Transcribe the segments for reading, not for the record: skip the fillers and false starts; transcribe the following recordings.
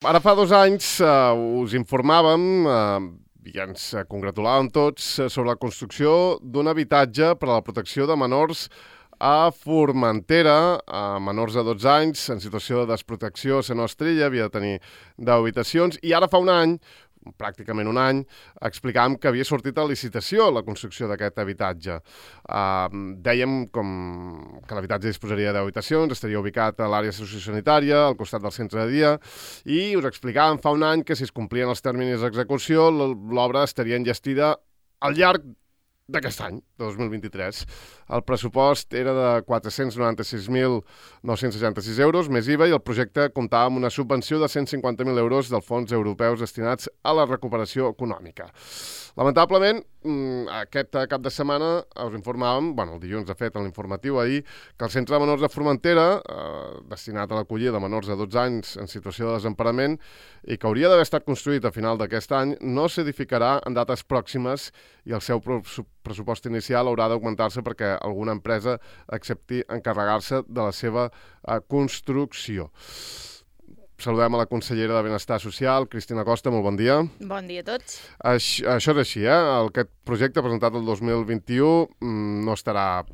Ara fa 2 anys us informàvem i ens congratulàvem tots sobre la construcció d'un habitatge per a la protecció de menors a Formentera, menors de 12 anys, en situació de desprotecció a la nostra illa, havia de tenir 10 habitacions, i ara fa un any, pràcticament un any, explicàvem que havia sortit a licitació la construcció d'aquest habitatge. Dèiem que l'habitatge disposaria de 10 habitacions, estaria ubicat a l'àrea sociosanitària, al costat del centre de dia, i us explicàvem fa un any que si es complien els terminis d'execució, l'obra estaria enllestida al llarg d'aquest any, de 2023. El pressupost era de 496.966 euros, més IVA, i el projecte comptava amb una subvenció de 150.000 euros dels fons europeus destinats a la recuperació econòmica. Lamentablement, aquest cap de setmana us informàvem, el dilluns de fet en l'informatiu ahir, que el Centre de Menors de Formentera, destinat a l'acollida de menors de 12 anys en situació de desemparament i que hauria d'haver estat construït a final d'aquest any, no s'edificarà en dates pròximes i el seu pressupost inicial haurà d'augmentar-se perquè alguna empresa accepti encarregar-se de la seva construcció. Saludem a la consellera de Benestar Social, Cristina Costa, molt bon dia. Bon dia a tots. Això és així, Aquest projecte presentat el 2021 no estarà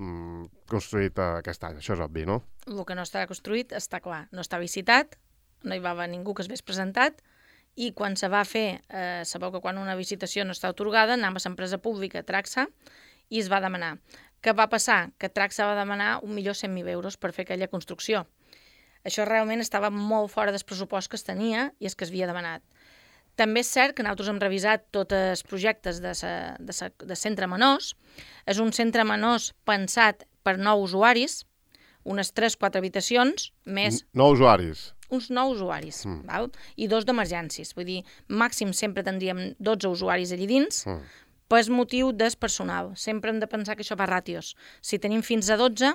construït aquest any, això és obvi, no? El que no estarà construït està clar, no està visitat, no hi va haver ningú que es vés presentat, i quan se va fer, sabeu que quan una visitació no està atorgada, anem a l'empresa pública Traxa i es va demanar. Què va passar? Que Traxa va demanar 1.100.000 euros per fer aquella construcció. Això realment estava molt fora del pressupost que es tenia i és que es havia demanat. També és cert que nosaltres hem revisat tots els projectes de centre menors. És un centre menors pensat per 9 usuaris, unes 3-4 habitacions, més... 9 usuaris? Uns 9 usuaris, val? I 2 d'emergències. Vull dir, màxim sempre tindríem 12 usuaris allí dins, per motiu del personal. Sempre hem de pensar que això va ràtios. Si tenim fins a 12...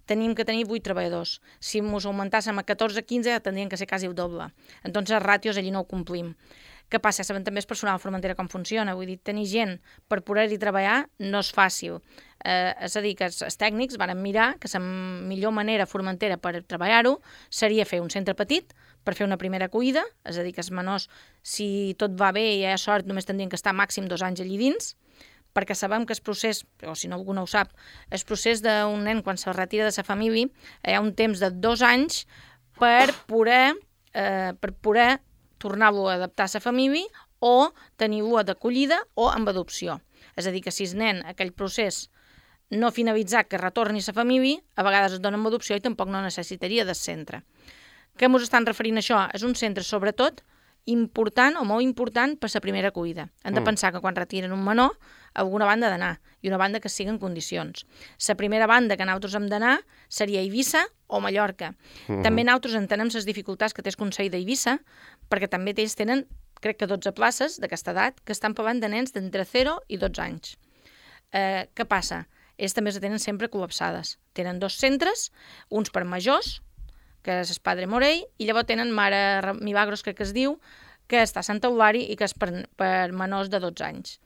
tenim que tenir 8 treballadors. Si ens augmentàssim a 14-15, tindrien que ser quasi el doble. Entonces, els ràtios allí no ho complim. Què passa? Sabem també el personal de Formentera com funciona. Vull dir, tenir gent per poder-hi treballar no és fàcil. És a dir, que els tècnics van mirar que la millor manera a Formentera per treballar-ho seria fer un centre petit per fer una primera acollida, és a dir, que els menors, si tot va bé i hi ha sort, només tindrien que estar màxim 2 anys allí dins, perquè sabem que el procés, o si no algú no ho sap, el procés d'un nen quan se retira de la família hi ha un temps de 2 anys per poder tornar-lo a adaptar a la família o tenir-lo d'acollida o amb adopció. És a dir, que si el nen, aquell procés no finalitzat que retorni a la família, a vegades es dona amb adopció i tampoc no necessitaria del centre. Què ens estan referint a això? És un centre, sobretot, important o molt important per la primera acollida. Hem de pensar que quan retiren un menor, alguna banda ha d'anar, i una banda que sigui en condicions. La primera banda que nosaltres hem d'anar seria Eivissa o Mallorca. També nosaltres entenem les dificultats que té el Consell d'Eivissa, perquè també ells tenen, crec que 12 places d'aquesta edat, que estan parlant de nens d'entre 0 i 12 anys. Què passa? Ells també se tenen sempre col·lapsades. Tenen 2 centres, uns per majors, que és el Padre Morell, i llavors tenen Mare Milagros, crec que es diu, que està a Sant Eulari i que és per menors de 12 anys.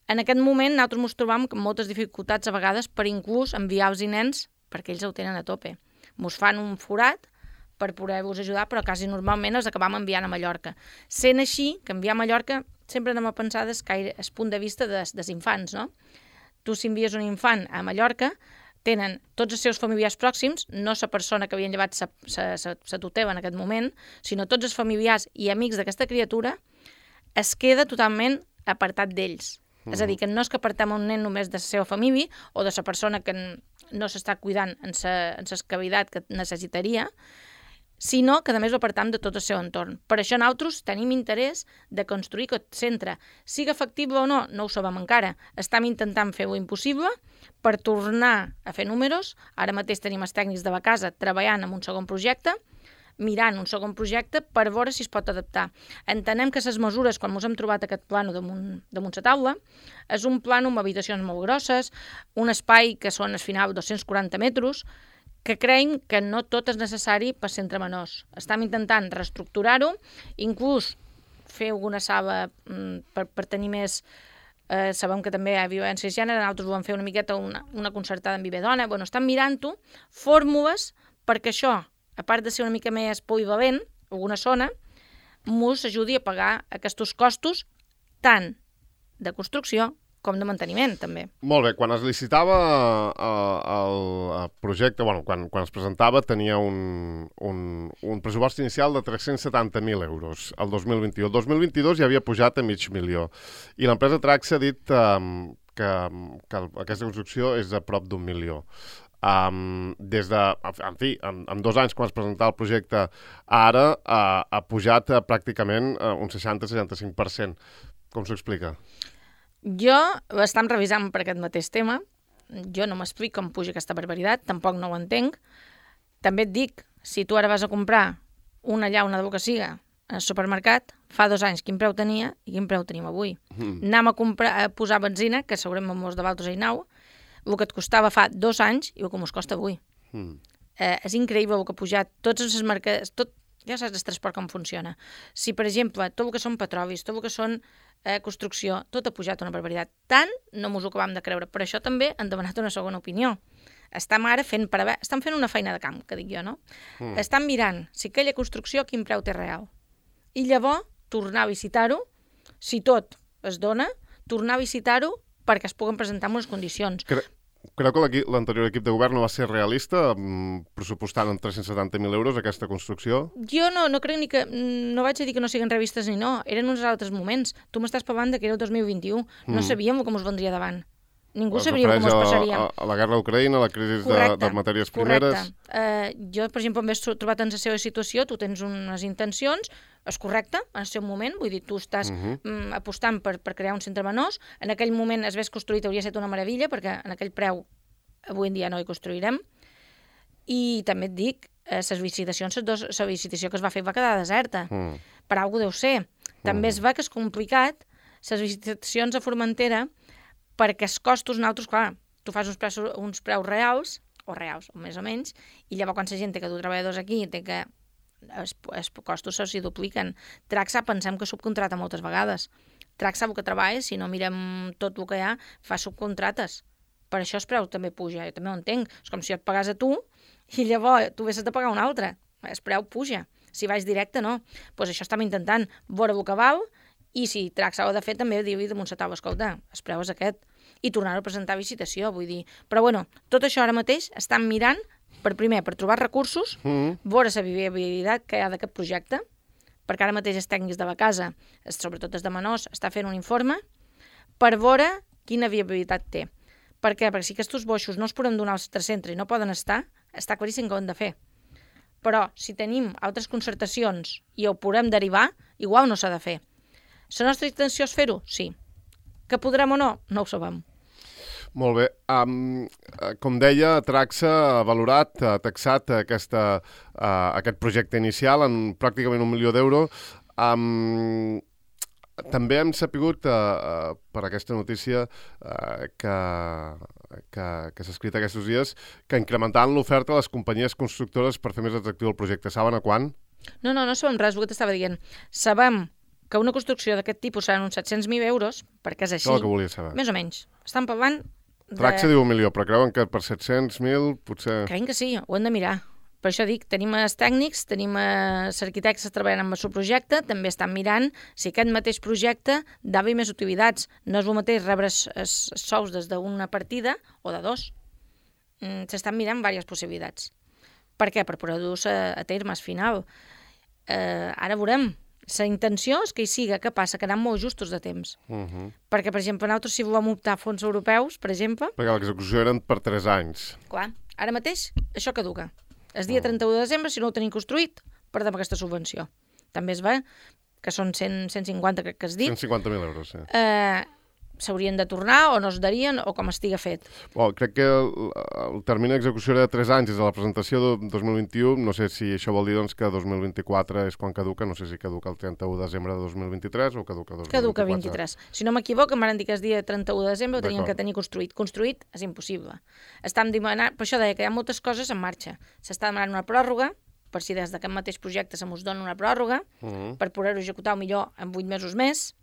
En aquest moment nosaltres ens trobam amb moltes dificultats a vegades per inclús enviar els nens perquè ells ho tenen a tope. Ens fan un forat per poder-vos ajudar, però quasi normalment els acabam enviant a Mallorca. Sent així, que enviar a Mallorca sempre anem a pensar des punt de vista dels infants, no? Tu si envies un infant a Mallorca, tenen tots els seus familiars pròxims, no la persona que havien llevat la tutela en aquest moment, sinó tots els familiars i amics d'aquesta criatura, es queda totalment apartat d'ells. És a dir, que no és que apartem un nen només de la seva família o de la persona que no s'està cuidant en la cavitat que necessitaria, sinó que a més ho apartam de tot el seu entorn. Per això nosaltres tenim interès de construir aquest centre. Siga factible o no, no ho sabem encara. Estem intentant fer-ho impossible per tornar a fer números. Ara mateix tenim els tècnics de la casa treballant en un segon projecte, mirant un segon projecte per veure si es pot adaptar. Entenem que les mesures, quan ens hem trobat aquest plano damunt la taula, és un plano amb habitacions molt grosses, un espai que són al final 240 metres, que creiem que no tot és necessari per centre menors. Estem intentant reestructurar-ho, inclús fer alguna sala per tenir més... sabem que també hi ha violència de gènere, nosaltres ho vam fer una miqueta una concertada amb Vivedona. Bueno, estem mirant-ho, fórmules perquè això, a part de ser una mica més polivalent, alguna zona, mos ajudi a pagar aquests costos tant de construcció com de manteniment, també. Molt bé, quan es licitava el projecte, quan es presentava, tenia un pressupost inicial de 370.000 euros el 2021. El 2022 ja havia pujat a $500.000 i l'empresa Traxa ha dit que aquesta construcció és a prop d'1 milió. Des de, en fi, en 2 anys quan es presentava el projecte ara ha pujat pràcticament un 60-65%. Com s'ho explica? Jo estem revisant per aquest mateix tema. Jo no m'explico com puja aquesta barbaritat, tampoc no ho entenc. També et dic, si tu ara vas a comprar una llauna de bo que siga al supermercat, fa 2 anys quin preu tenia i quin preu tenim avui. Anem a posar benzina, que segurament molts de vosaltres hi aneu, el que et costava fa 2 anys i el que mos costa avui. És increïble el que ha pujat. Tots els mercats, ja saps el transport com funciona. Si, per exemple, tot el que són petrolis, tot el que són construcció, tot ha pujat una barbaritat. Tant no mos ho acabam de creure. Per això també han demanat una segona opinió. Estan ara fent una feina de camp, que dic jo, no? Estan mirant si aquella construcció quin preu té real. I llavors tornar a visitar-ho, si tot es dona, tornar a visitar-ho perquè es puguen presentar en unes condicions. Creu que l'anterior equip de govern no va ser realista pressupostant en 370.000 euros aquesta construcció? Jo no crec ni que... No vaig a dir que no siguin revistes ni no. Eren uns altres moments. Tu m'estàs parlant que era el 2021. No sabíem com us vendria davant. Ningú sabria com es passaria. A la guerra d'Ucraïna, a la crisi de matèries primeres... Jo, per exemple, m'he trobat en la seva situació, tu tens unes intencions, és correcte, en el seu moment, vull dir, tu estàs apostant per crear un centre menors, en aquell moment es ves construït, hauria estat una meravella, perquè en aquell preu avui en dia no hi construirem, i també et dic, les licitacions, la licitació que es va fer va quedar deserta, per alguna deu ser. També es va que és complicat, les licitacions a Formentera, perquè els costos nosaltres, clar, tu fas uns preus reals, o més o menys, i llavors quan la gent té que dur treballadors aquí, té que els costos s'hi dupliquen. Traxa pensem que subcontrata moltes vegades. Traxa el que treballa, si no mirem tot el que hi ha, fa subcontrates. Per això el preu també puja, jo també ho entenc. És com si jo et pagàs a tu i llavors tu haguessis de pagar un altre. El preu puja. Si vaig directe, no. Doncs això estem intentant veure el que val i si Traxa ho ha de fer també dir-li damunt la taula, escolta, el preu és aquest. I tornar a presentar licitació, vull dir. Però bueno, tot això ara mateix estan mirant per trobar recursos, veure la viabilitat que hi ha d'aquest projecte, perquè ara mateix els tècnics de la casa, sobretot els de menors, està fent un informe per veure quina viabilitat té. Per què? Perquè si aquests boixos no els podem donar al centre i no poden estar, està claríssim que ho hem de fer. Però si tenim altres concertacions i ho podem derivar, igual no s'ha de fer. La nostra intenció és fer-ho? Sí. Que podrem o no? No ho sabem. Molt bé. Com deia, Traxa ha valorat, ha taxat aquest projecte inicial en pràcticament 1 milió d'euros. També hem sapigut, per aquesta notícia que s'ha escrit aquests dies, que incrementaran l'oferta a les companyies constructores per fer més atractiu el projecte. Saben a quan? No sabem res, el que t'estava dient. Sabem que una construcció d'aquest tipus seran uns 700.000 euros, perquè és així. És el que volia saber. Més o menys. Estan parlant Traxa diu 1 milió, però creuen que per 700.000 potser... Creiem que sí, ho hem de mirar. Per això dic, tenim els tècnics, tenim els arquitectes treballant amb el seu projecte, també estan mirant si aquest mateix projecte dava més utilitats. No és el mateix rebre els sous des d'una partida o de 2. S'estan mirant diverses possibilitats. Per què? Per poder-ho a terme al final. Ara veurem. La intenció és que hi siga, què passa? Que anem molt justos de temps. Perquè, per exemple, nosaltres si volem optar a fons europeus, per exemple... Perquè l'execució eren per 3 anys. Clar, ara mateix això caduca. El dia 31 de desembre, si no ho tenim construït, perdem aquesta subvenció. També es va, que són 150, crec que has dit. 150.000 euros, sí. S'haurien de tornar o no es darien o com estiga fet. Crec que el termini d'execució era de 3 anys des de la presentació de 2021. No sé si això vol dir que 2024 és quan caduca. No sé si caduca el 31 de desembre de 2023 o caduca 2024. Caduca 23. Si no m'equivoco, em van dir que el dia 31 de desembre ho tenien que tenir construït. Construït és impossible. Estem demanant, per això deia que hi ha moltes coses en marxa. S'està demanant una pròrroga, per si des d'aquest mateix projecte se mos dona una pròrroga, per poder-ho executar millor en 8 mesos més,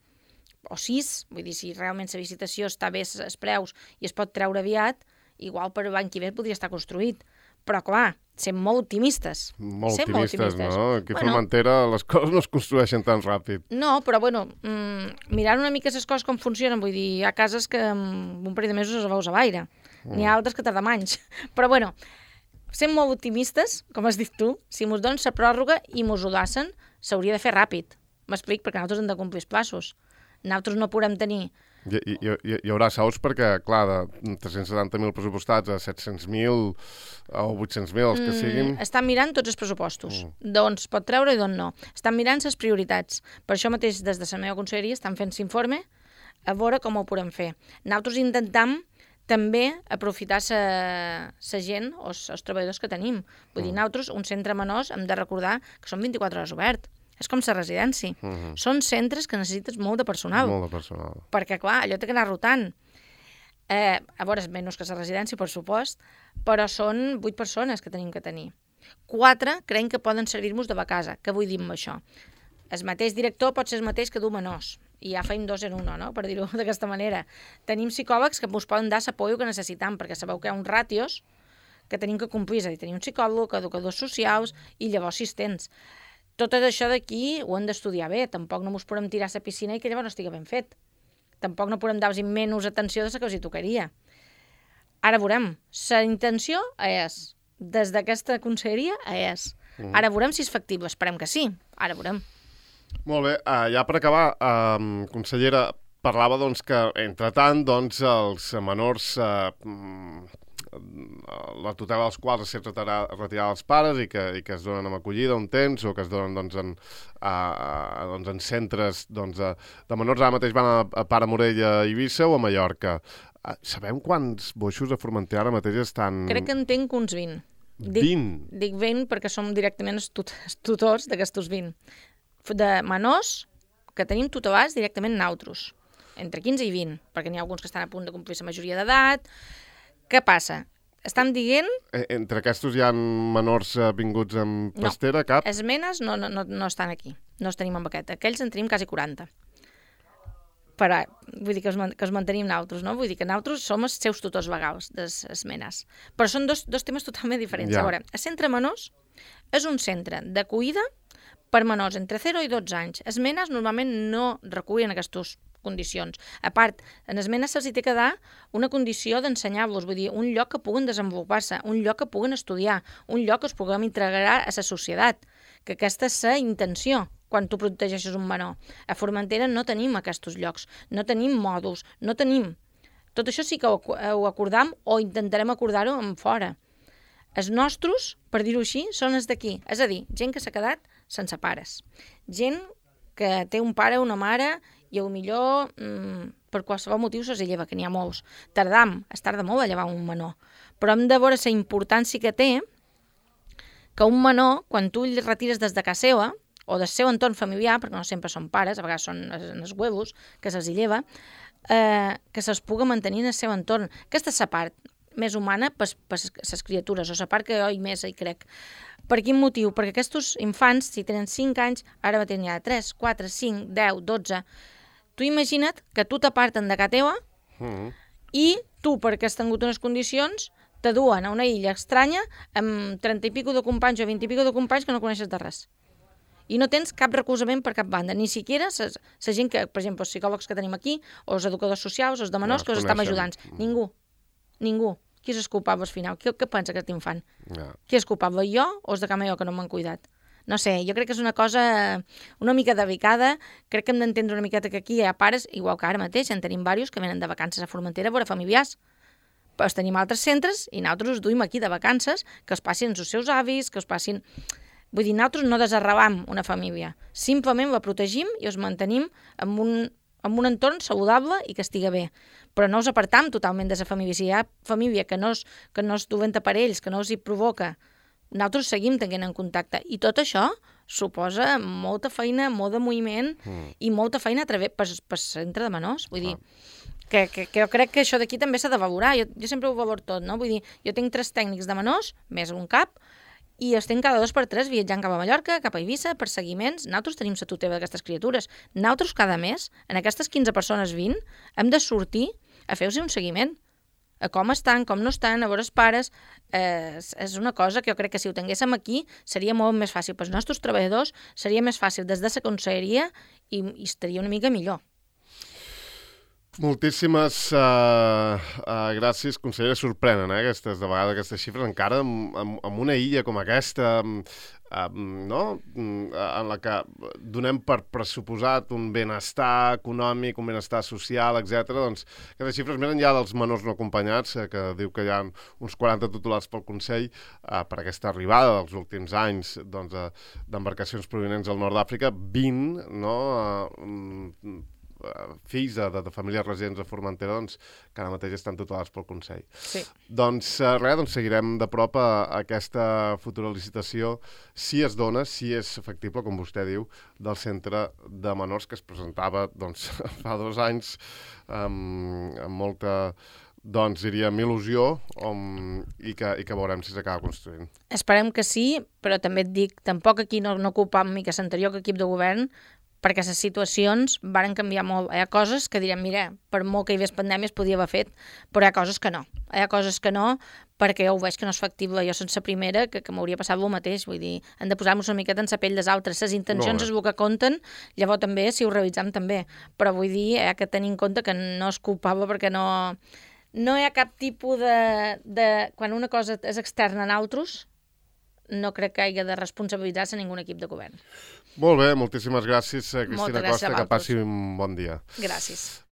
o 6, vull dir, si realment la licitació està bé els preus i es pot treure aviat, igual per l'any que ve podria estar construït. Però, clar, ser molt optimistes. Molt optimistes, no? Aquí a Formentera les coses no es construeixen tan ràpid. No, però, mirant una mica les coses com funcionen, vull dir, hi ha cases que en un parell de mesos es veus a l'aire. N'hi ha altres que tarden anys. Però, sent molt optimistes, com has dit tu, si mos donen la pròrroga i mos ho dassen, s'hauria de fer ràpid. M'explic, perquè nosaltres hem de complir els plaços. Nosaltres no podem tenir... Hi haurà sous perquè, clar, de 370.000 pressupostats a 700.000 o 800.000, els que siguin... Estan mirant tots els pressupostos, d'on es pot treure i d'on no. Estan mirant les prioritats. Per això mateix, des de la meva conselleria, estan fent l'informe a veure com ho podem fer. Nosaltres intentam també aprofitar la gent o els treballadors que tenim. Vull dir, nosaltres, un centre menors, hem de recordar que són 24 hores obert. És com la residència. Són centres que necessites molt de personal. Molt de personal. Perquè, clar, allò té que anar rotant. A veure, menys que la residència, per supost, però són 8 persones que tenim que tenir. 4 creiem que poden servir-nos de casa. Què vull dir amb això? El mateix director pot ser el mateix que du menors. I ja feim 2 en 1, no? Per dir-ho d'aquesta manera. Tenim psicòlegs que ens poden dar l'apoio que necessitam, perquè sabeu que hi ha uns ràtios que tenim que complir. És a dir, tenim un psicòleg, educadors socials i llavors assistents. Tot això d'aquí ho hem d'estudiar bé. Tampoc no ens podem tirar a la piscina i que llavors no estigui ben fet. Tampoc no podem dar-los menys atenció de la que els hi tocaria. Ara veurem. La intenció és, des d'aquesta conselleria, és. Ara veurem si és factible. Esperem que sí. Ara veurem. Molt bé. Ja per acabar, consellera, parlava que, entretant, els menors... la tutela dels quals es retirada als pares i que es donen amb acollida un temps o que es donen en centres de menors. Ara mateix van a Pare Morell, a Eivissa o a Mallorca. Sabem quants boixos a Formentera ara mateix estan... Crec que en tinc uns 20. 20? Dic 20 perquè som directament els tutors d'aquestos 20. De menors que tenim tutelats directament nosaltres. Entre 15 i 20, perquè n'hi ha alguns que estan a punt de complir la majoria d'edat. Què passa? Estan dient... Entre aquests hi ha menors vinguts amb pastera, cap? No, els menes no estan aquí. No els tenim amb aquest. Aquells en tenim quasi 40. Però vull dir que els mantenim nosaltres, no? Vull dir que nosaltres som els seus tutors legals, les menes. Però són dos temes totalment diferents. Ja. A veure, el centre menors és un centre d'acollida per menors entre 0 i 12 anys. Els menes normalment no recullen aquestes condicions. A part, en les menes se'ls té que dar una condició d'ensenyar-los, vull dir, un lloc que puguen desenvolupar-se, un lloc que puguen estudiar, un lloc que es puguem integrar a la societat, que aquesta és la intenció quan tu protegeixes un menor. A Formentera no tenim aquests llocs, no tenim mòduls, no tenim. Tot això sí que ho acordam o intentarem acordar-ho en fora. Els nostres, per dir-ho així, són els d'aquí. És a dir, gent que s'ha quedat sense pares. Gent que té un pare o una mare i millor per qualsevol motiu se'ls lleva, que n'hi ha molts. Es tarda molt a llevar un menor. Però hem de veure la importància que té que un menor, quan tu el retires des de casa seva, o del seu entorn familiar, perquè no sempre són pares, a vegades són els huevos que se'ls lleva, que se'ls pugui mantenir en el seu entorn. Aquesta és la part més humana per les criatures, o la part que jo més hi crec. Per quin motiu? Perquè aquests infants, si tenen 5 anys, ara mateix n'hi ha 3, 4, 5, 10, 12... Tu imagina't que tu t'aparten de casa teva i tu, perquè has tingut unes condicions, te duen a una illa estranya amb 30 i pico de companys o 20 i pico de companys que no coneixes de res. I no tens cap recolzament per cap banda, ni siquiera la gent que, per exemple, els psicòlegs que tenim aquí, o els educadors socials, els de menors, que us estan ajudant. Ningú. Qui és el culpable al final? Què pensa aquest infant? Qui és culpable, jo o els de casa meva que no m'han cuidat? No sé, jo crec que és una cosa una mica delicada. Crec que hem d'entendre una miqueta que aquí hi ha pares, igual que ara mateix, en tenim diversos que venen de vacances a Formentera a veure familiars. Però tenim altres centres i nosaltres us duim aquí de vacances, que els passin els seus avis, que els passin... Vull dir, nosaltres no desarrelam una família. Simplement la protegim i els mantenim en un entorn saludable i que estigui bé. Però no us apartam totalment de la família. Si hi ha família que no es duen per ells, que no els hi provoca, nosaltres seguim tenint en contacte. I tot això suposa molta feina, molt de moviment i molta feina per centre de menors. Vull dir, que jo crec que això d'aquí també s'ha de valorar. Jo sempre ho valoro tot, no? Vull dir, jo tinc 3 tècnics de menors, més un cap, i els tenc cada 2 per 3 viatjant cap a Mallorca, cap a Eivissa, per seguiments. Nosaltres tenim la tutela d'aquestes criatures. Nosaltres cada mes, en aquestes 15 persones 20, hem de sortir a fer-los un seguiment. a com estan, com no estan, a veure els pares. És una cosa que jo crec que si ho tinguéssim aquí seria molt més fàcil pels nostres treballadors, seria més fàcil des de la conselleria i estaria una mica millor. Moltíssimes gràcies, consellera. Sorprenen, de vegades aquestes xifres, encara en una illa com aquesta, no? En la que donem per pressuposat un benestar econòmic, un benestar social, etc. Doncs aquestes xifres, més enllà dels menors no acompanyats, que diu que hi ha uns 40 tutelats pel Consell, per aquesta arribada dels últims anys d'embarcacions provinents del nord d'Àfrica, 20, no?, fills de famílies residents a Formentera, que ara mateix estan tutelats pel Consell. Sí. Doncs seguirem de prop aquesta futura licitació, si es dona, si és factible, com vostè diu, del centre de menors que es presentava fa 2 anys amb molta, diríem, il·lusió, i que veurem si s'acaba construint. Esperem que sí, però també et dic, tampoc aquí no ocupam mica l'anterior equip de govern, perquè les situacions varen canviar molt. Hi ha coses que direm, mira, per molt que hi hagués pandèmia es podia haver fet, però hi ha coses que no. Hi ha coses que no, perquè jo ho veig que no és factible. Jo sense primera, que m'hauria passat el mateix. Vull dir, hem de posar-nos una miqueta en la pell dels altres. Les intencions és el que compten, llavors també, si ho revisam també. Però vull dir, hi ha que tenir en compte que no és culpable perquè no hi ha cap tipus de... Quan una cosa és externa a altres, no crec que hagi de responsabilitzar-se ningú equip de govern. Molt bé, moltíssimes gràcies, Cristina Costa, que passi un bon dia. Gràcies.